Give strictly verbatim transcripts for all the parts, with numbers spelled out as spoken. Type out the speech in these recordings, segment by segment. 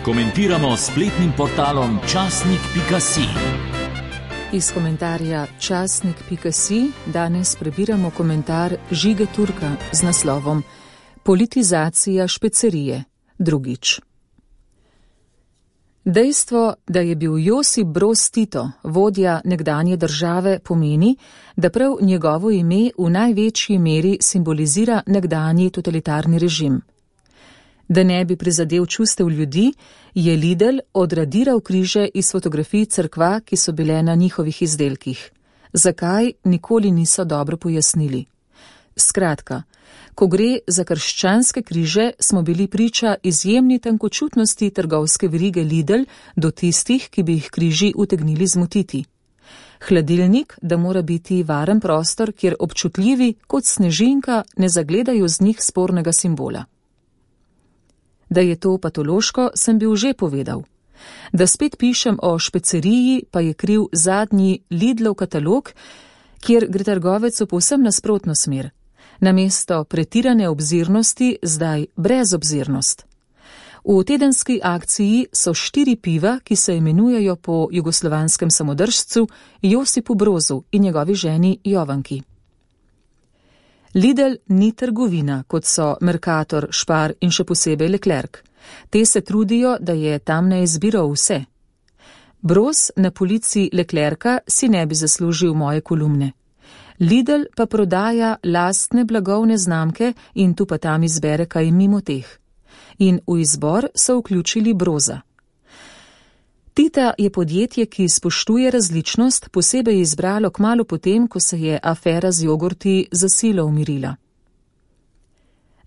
Komentiramo spletnim portalom časnik pika si. Iz komentarja časnik pika si danes prebiramo komentar Žige Turka z naslovom Politizacija špecerije, drugič. Dejstvo, da je bil Josip Broz Tito vodja nekdanje države, pomeni, da prav njegovo ime v največji meri simbolizira nekdanji totalitarni režim. Da ne bi prizadel čustev ljudi, je Lidl odradiral križe iz fotografij cerkva, ki so bile na njihovih izdelkih. Zakaj, nikoli niso dobro pojasnili. Skratka, ko gre za krščanske križe, smo bili priča izjemni tankočutnosti trgovske verige Lidl do tistih, ki bi jih križi utegnili zmotiti. Hladilnik, da mora biti varen prostor, kjer občutljivi kot snežinka ne zagledajo z njih spornega simbola. Da je to patološko, sem bil že povedal. Da spet pišem o špeceriji, pa je kriv zadnji Lidlov katalog, kjer gre trgovec v povsem nasprotno smer. Namesto pretirane obzirnosti, zdaj brezobzirnost. V tedenski akciji so štiri piva, ki se imenujejo po jugoslovanskem samodržcu Josipu Brozu in njegovi ženi Jovanki. Lidl ni trgovina, kot so Mercator, Spar in še posebej Leclerc. Te se trudijo, da je tam na izbiro vse. Broz na polici Leclerca si ne bi zaslužil moje kolumne. Lidl pa prodaja lastne blagovne znamke in tu pa tam izbere kaj mimo teh. In v izbor so vključili Broza. Tita je podjetje, ki spoštuje različnost, posebej izbralo kmalu potem, ko se je afera z jogurti za silo umirila.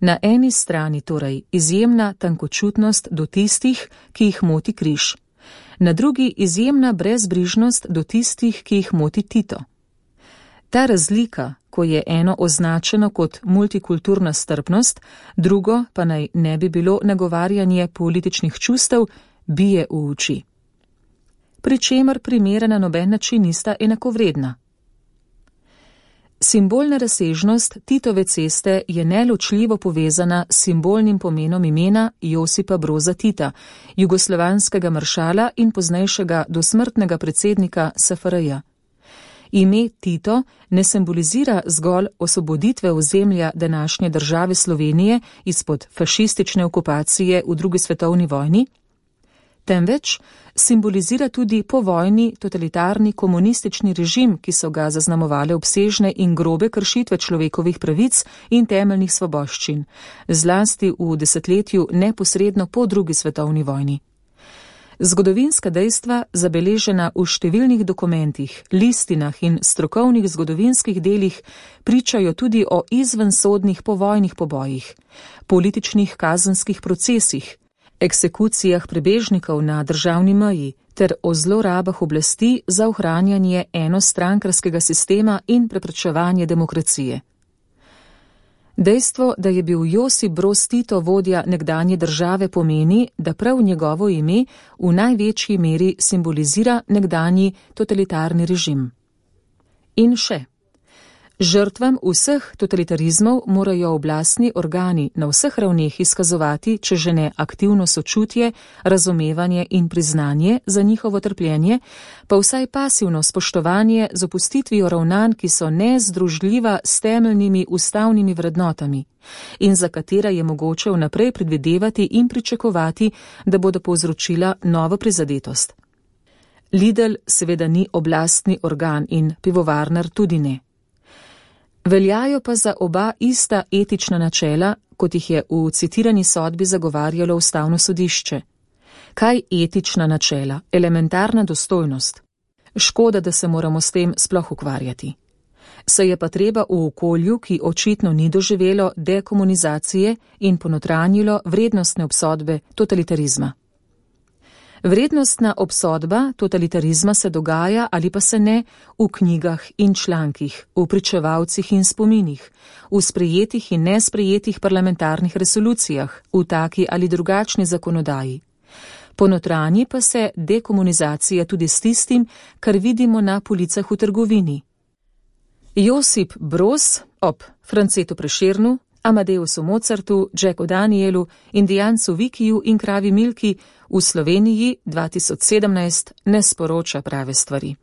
Na eni strani torej izjemna tankočutnost do tistih, ki jih moti križ. Na drugi izjemna brezbrižnost do tistih, ki jih moti Tito. Ta razlika, ko je eno označeno kot multikulturna strpnost, drugo pa naj ne bi bilo nagovarjanje političnih čustev, bije v oči. Pri čemer primera na noben način nista enakovredna. Simbolna razsežnost Titove ceste je neločljivo povezana s simbolnim pomenom imena Josipa Broza Tita, jugoslovanskega maršala in poznejšega dosmrtnega predsednika S F R J. Ime Tito ne simbolizira zgolj osvoboditve ozemlja današnje države Slovenije izpod fašistične okupacije v drugi svetovni vojni, temveč simbolizira tudi povojni totalitarni komunistični režim, ki so ga zaznamovale obsežne in grobe kršitve človekovih pravic in temeljnih svoboščin, zlasti v desetletju neposredno po drugi svetovni vojni. Zgodovinska dejstva, zabeležena v številnih dokumentih, listinah in strokovnih zgodovinskih delih, pričajo tudi o izvensodnih povojnih pobojih, političnih kazenskih procesih, eksekucijah prebežnikov na državni meji ter o zlorabah oblasti za ohranjanje enostrankarskega sistema in preprečevanje demokracije. Dejstvo, da je bil Josip Broz Tito vodja nekdanje države, pomeni, da prav njegovo ime v največji meri simbolizira nekdanji totalitarni režim. In še. Žrtvam vseh totalitarizmov morajo oblastni organi na vseh ravneh izkazovati, če že ne aktivno sočutje, razumevanje in priznanje za njihovo trpljenje, pa vsaj pasivno spoštovanje z opustitvijo ravnanj, ki so nezdružljiva s temeljnimi ustavnimi vrednotami in za katera je mogoče vnaprej predvidevati in pričakovati, da bodo povzročila novo prizadetost. Lidl seveda ni oblastni organ in pivovarnar tudi ne. Veljajo pa za oba ista etična načela, kot jih je v citirani sodbi zagovarjalo Ustavno sodišče. Kaj etična načela? Elementarna dostojnost. Škoda, da se moramo s tem sploh ukvarjati. Se je pa treba v okolju, ki očitno ni doživelo dekomunizacije in ponotranjilo vrednostne obsodbe totalitarizma. Vrednostna obsodba totalitarizma se dogaja ali pa se ne v knjigah in člankih, v pričevalcih in spominih, v sprejetih in nesprejetih parlamentarnih resolucijah, v taki ali drugačni zakonodaji. Ponotranji pa se dekomunizacija tudi s tistim, kar vidimo na policah v trgovini. Josip Broz ob Francetu Prešernu Amadeusu Mozartu, Jacku Danielu, indijancu Vikiju in kravi Milki v Sloveniji dva tisoč sedemnajst ne sporoča prave stvari.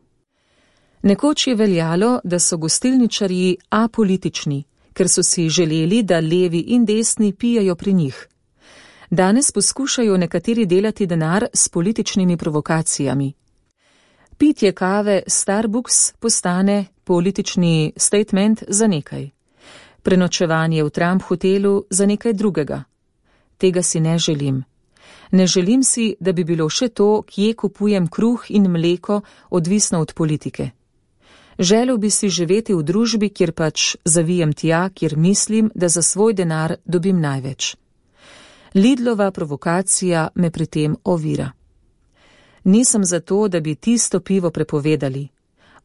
Nekoč je veljalo, da so gostilničarji apolitični, ker so si želeli, da levi in desni pijejo pri njih. Danes poskušajo nekateri delati denar s političnimi provokacijami. Pitje kave Starbucks postane politični statement za nekaj. Prenočevanje v Trump hotelu za nekaj drugega. Tega si ne želim. Ne želim si, da bi bilo še to, kje kupujem kruh in mleko, odvisno od politike. Želel bi si živeti v družbi, kjer pač zavijem tja, kjer mislim, da za svoj denar dobim največ. Lidlova provokacija me pri tem ovira. Nisem za to, da bi tisto pivo prepovedali.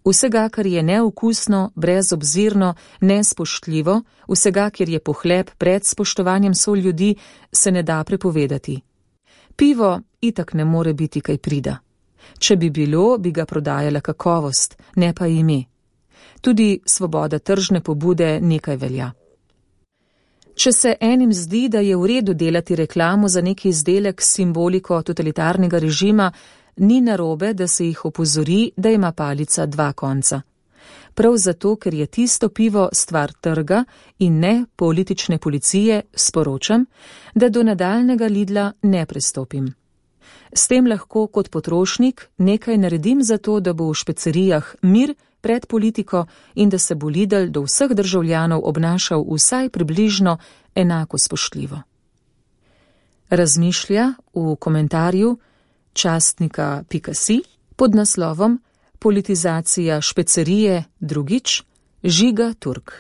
Vsega, kar je neokusno, brezobzirno, nespoštljivo, vsega, kjer je pohlep pred spoštovanjem soljudi, se ne da prepovedati. Pivo itak ne more biti kaj prida. Če bi bilo, bi ga prodajala kakovost, ne pa ime. Tudi svoboda tržne pobude nekaj velja. Če se enim zdi, da je v redu delati reklamo za neki izdelek s simboliko totalitarnega režima, ni narobe, da se jih opozori, da ima palica dva konca. Prav zato, ker je tisto pivo stvar trga in ne politične policije, sporočam, da do nadaljnega Lidla ne prestopim. S tem lahko kot potrošnik nekaj naredim za to, da bo v špecerijah mir pred politiko in da se bo Lidl do vseh državljanov obnašal vsaj približno enako spoštljivo. Razmišlja v komentarju častnika pika si pod naslovom Politizacija špecerije drugič Žiga Turk.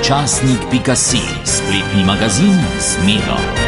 Časnik pika si, spletni magazin z Miro.